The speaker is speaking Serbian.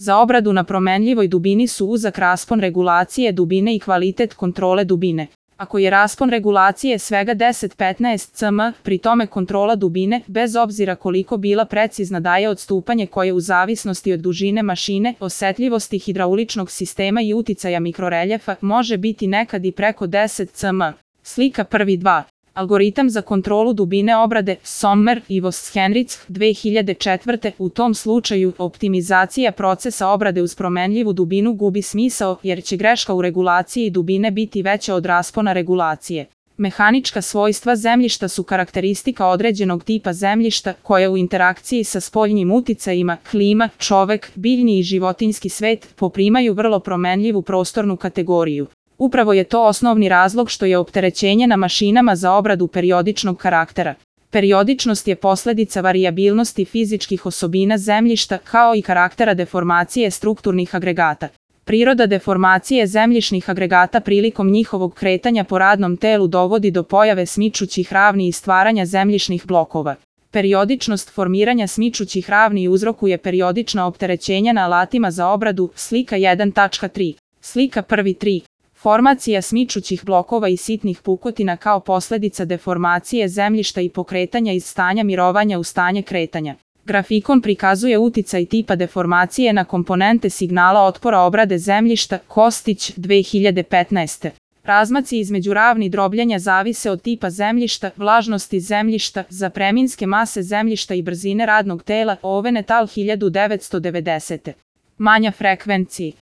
Za obradu na promenljivoj dubini su uzak raspon regulacije dubine i kvalitet kontrole dubine. Ako je raspon regulacije svega 10-15 cm, pri tome kontrola dubine, bez obzira koliko bila precizna, daje odstupanje koje u zavisnosti od dužine mašine, osetljivosti hidrauličnog sistema i uticaja mikroreljefa može biti nekad i preko 10 cm. Slika 1.2. Algoritam za kontrolu dubine obrade, Sommer i Vos-Henrichs, 2004. U tom slučaju, optimizacija procesa obrade uz promenljivu dubinu gubi smisao, jer će greška u regulaciji dubine biti veća od raspona regulacije. Mehanička svojstva zemljišta su karakteristika određenog tipa zemljišta, koja u interakciji sa spoljnim uticajima, klima, čovek, biljni i životinjski svet, poprimaju vrlo promenljivu prostornu kategoriju. Upravo je to osnovni razlog što je opterećenje na mašinama za obradu periodičnog karaktera. Periodičnost je posledica varijabilnosti fizičkih osobina zemljišta, kao i karaktera deformacije strukturnih agregata. Priroda deformacije zemljišnih agregata prilikom njihovog kretanja po radnom telu dovodi do pojave smičućih ravni i stvaranja zemljišnih blokova. Periodičnost formiranja smičućih ravni uzrokuje periodična opterećenja na alatima za obradu, slika 1.3. Slika 1.3. Formacija smičućih blokova i sitnih pukotina kao posledica deformacije zemljišta i pokretanja iz stanja mirovanja u stanje kretanja. Grafikon prikazuje uticaj tipa deformacije na komponente signala otpora obrade zemljišta, Kostić, 2015. Razmaci između ravni drobljenja zavise od tipa zemljišta, vlažnosti zemljišta, zapreminske mase zemljišta i brzine radnog tela, Ovenetal 1990. Manja frekvenciji.